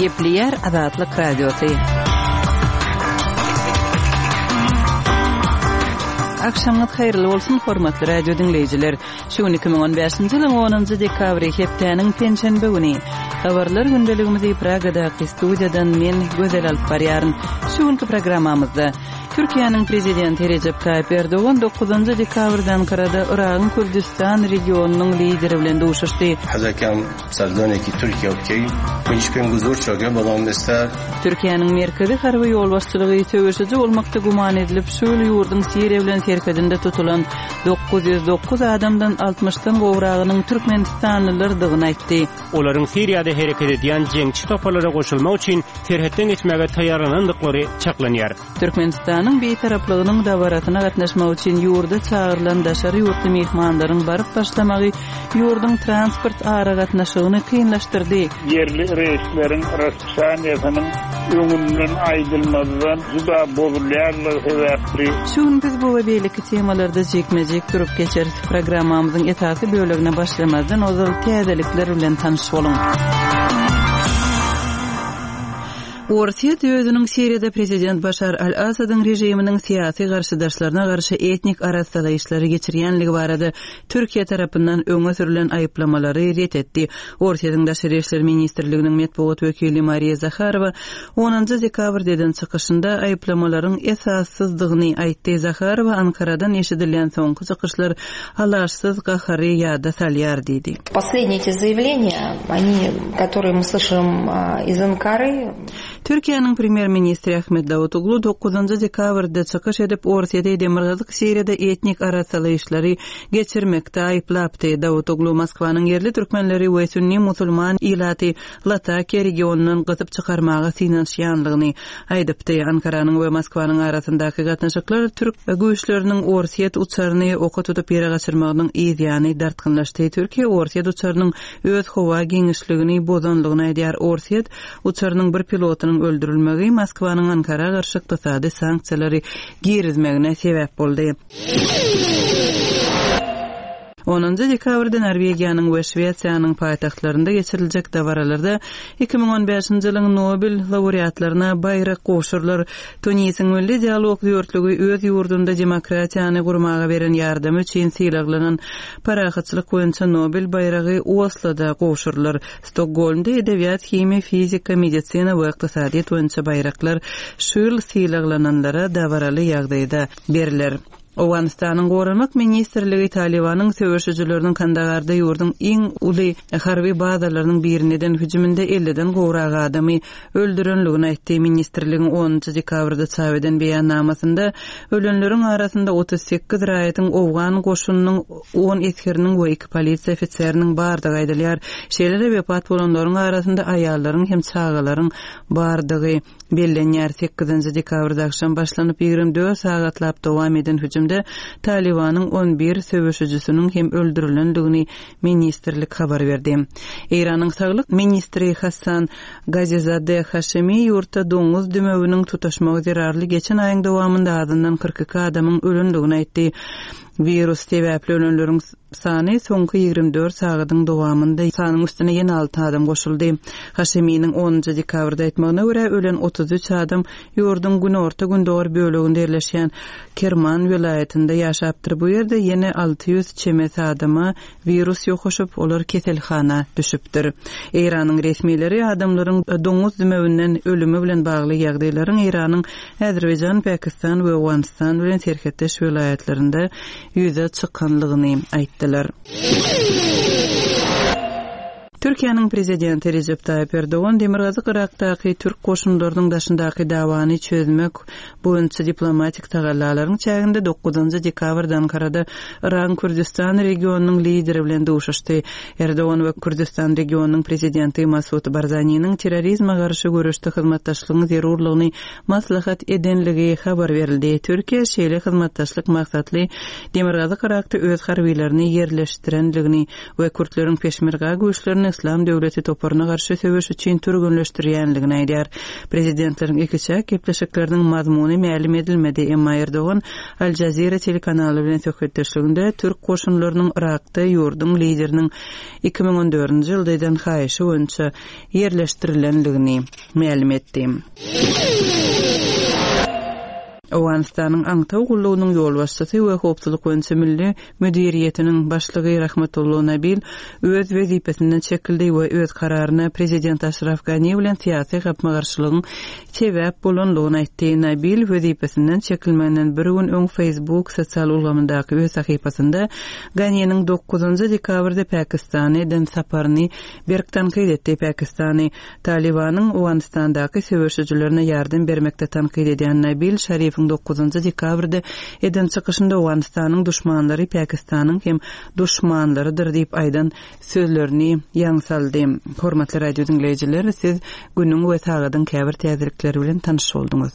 Gepleýär Azatlyk Radiosy. Agşamyňyz haýyrly bolsun, hormatly radio diňleýjiler. Şu gün 2015-nji ýylyň 10-njy dekabry, hepdäniň penşenbe güni. Habarlar gündeligimizi Pragadaky studiýadan men, Gözel alyp barýaryn. Şu günki programmamyzda Türkiýäniň Prezidenti Rejep Taýyp Erdogan dokuzynjy dekabrda Ankarada Yragyň Kürdüstan regionynyň lideri bilen duşuşdy. Türkiýäniň merkezi harby ýolbaşçylygy söweşiji bolmakda güman edilip, şu ýyl ýurduň Siriýa bilen serhedinde tutulan 909 adamdan altmyşdan gowragynyň türkmenistanlylardygyny aýtdy. Olaryň Siriýada hereket edýän jeňçi toparlara goşulmak üçin serhetden geçmäge taýýarlanandyklary çaklanýar. Türkmenistanyň Bitaraplygynyň dabarasyna gatnaşmak üçin ýurda çagyrylan daşary ýurtly myhmanlaryň baryp başlamagy ýurduň transport aragatnaşygyny kynlaşdyrdy. Ýerli reýsleriň raspisaniýasynyň öňünden aýdylmazdan juda bozulýanlygy sebäpli, Şu gün biz bu we beýleki temalarda jikme-jik durup geçeris. Programmamyzyň esasy bölegine başlamazdan ozal täzelikler bilen tanyş boluň. Orsýet özüniň Siriýada prezident Başar al-Assadyň režiminiň syýasy garşydaşlaryna garşy etnik arassalaýyşlary geçirýänligi barada Türkiýe tarapyndan öňe sürlen aýyplamalary ret etdi. Orsýetiň Daşary işler ministrliginiň metbugat wekili Mariýa Zaharowa onunjy dekabrda eden çykyşynda aýyplamalaryň esassyzdygyny aýtdy. Zaharowa Ankaradan eşidilýän soňky çykyşlar alaçsyz gahary ýada salýar diýdi. Posledniye eti zaýawleniýa, oni, kotorye my slyşym iz Ankary. Türkiýäniň premýer-ministri Ahmet Dawutoglu dokuzynjy dekabrda çykyş edip, Orsýeti Demirgazyk Siriýada etnik arassalaýyşlary geçirmekde aýyplapdy. Dawutoglu Moskwanyň ýerli türkmenleri we sünni musulman ilaty Latakiýa regionyndan gysyp çykarmaga synanyşýanlygyny aýdypdy. Ankaranyň we Moskwanyň arasyndaky gatnaşyklar türk güýçleriniň orsýet uçaryny oka tutup ýere gaçyrmagynyň yz ýany dartgynlaşdy. Türkiýe orsýet uçarynyň öz howa giňişligini bozanlygyny aýdýar. Orsýet uçarynyň bir pilotynyň öldürilmegi Moskwanyň Ankara garşy ykdysady sanksiýalary girizmegine sebäp boldy. Onunjy dekabrda Norwegiýanyň we Şwesiýanyň paýtagtlarynda geçiriljek dabaralarda 2015-nji ýylyň Nobel laureatlaryna baýrak gowşurylar. Tunisiň Milli dialog dörtlügi öz ýurdunda demokratiýany gurmaga beren ýardamy üçin sylaglanan Parahatçylyk boýunça Nobel baýragy Osloda gowşurylar. Stokgolmda edebiýat, himiýa, fizika, medisina we ykdysadyýet boýunça baýraklar şu ýyl sylaglananlara dabaraly ýagdaýda berler. Owganystanyň Goranmak ministrligi Talybanyň söweşijileriniň Kandagarda ýurduň iň uly harby bazalarynyň birine eden hüjüminde elliden gowrak adamy öldürenligini aýtdy. Ministrligiň onunjy dekabrda çap eden beýannamasynda ölenleriň arasynda 38 raýatyň owgan goşunynyň on esgeriniň we iki polisiýa ofiseriniň bardygy aýdylýar. Şeýle-de wepat bolanlaryň arasynda aýallaryň hem çagalaryň bardygy Bellenýär. Sekizinji dekabrda agşam başlanyp, 24 sagatlap dowam eden hüjümde Talybanyň on bir söweşijisiniň hem öldürilendigini ministrlik habar berdi. Eýranyň saglyk ministri Hassan Gazizadeh Haşemi ýurtda doňuz dümewiniň tutaşmagy zerarly geçen aýyň dowamynda azyndan 42 adamyň ölendigini aýtdy. Wirus sebäpli ölenleriň sany soňky 24 sagadyň dowamynda sanyň üstüne ýene alty adam goşuldy. Haşeminiň onunjy dekabrda aýtmagyna görä, ölen 33 adam ýurduň günorta-gündogar böleginde ýerleşýän Kerman welaýatynda ýaşapdyr. Bu ýerde ýene 600 çemesi adama wirus ýokaşyp, olar keselhana düşüpdir. Eýranyň resmileri adamlaryň doňuz dümewinden ölümi bilen bagly ýagdaýlaryň Eýranyň Azerbaýjan, Pakistan we Owganystan bilen serhetdeş welaýatlarynda ýüze çykanlygyny aýtdylar. Türkiýäniň Prezidenti Rejep Taýyp Erdogan Demirgazyk Yrakdaky türk goşunlarynyň daşyndaky dawany çözmek boýunça diplomatik tagallalaryň çäginde dokuzynjy dekabrda Ankarada Yragyň Kürdüstan regionynyň lideri bilen duşuşdy. Erdogan we Kürdüstan regionynyň prezidenti Masud Barzaniniň terrorizme garşy göreşde hyzmatdaşlygyň zerurlygyny maslahat edenligi habar berildi. Türkiýe şeýle hyzmatdaşlyk maksatly Demirgazyk Yrakda öz harbylaryny ýerleşdirenligini we kürtleriň peşmerga güýçlerini. Yslam döwleti toparyna garşy söweş üçin türgenleşdirýänligini aýdýar. Prezidentleriň ikiçäk gepleşikleriniň mazmuny mälim edilmedi, emma Erdogan Al Jazeera telekanaly bilen söhbetdeşliginde türk goşunlarynyň Yrakda ýurduň lideriniň 2014-nji ýylda eden haýyşy boýunça ýerleşdirilendigini mälim etdi. Owganystanyň aňtaw gullugynyň ýolbaşçysy we Howpsuzlyk boýunça milli müdiriýetiniň başlygy Rahmatullo Nabil öz wezipesinden çekildi we öz kararyna prezident Aşraf Gani bilen syýasy gapma-garşylygyň sebäp bolanlygyny aýtdy. Nabil wezipesinden çekilmeginden bir gün öň Facebook sosial ulgamyndaky öz sahypasynda Ganiniň dokuzynjy dekabrda Pakistana eden saparyny berk tankyt etdi. Pakistany Talybanyň Owganystandaky söweşijilerine ýardam bermekde tankyt edýän Nabil Şarifiň dokuzynjy dekabrda eden çykyşynda Owganystanyň duşmanlary Pakistanyň hem duşmanlarydyr diýip aýdan sözlerini ýaň saldy. Hormatly radio diňleýjiler, siz günüň we sagadyň käbir täzelikleri bilen tanyş bolduňyz.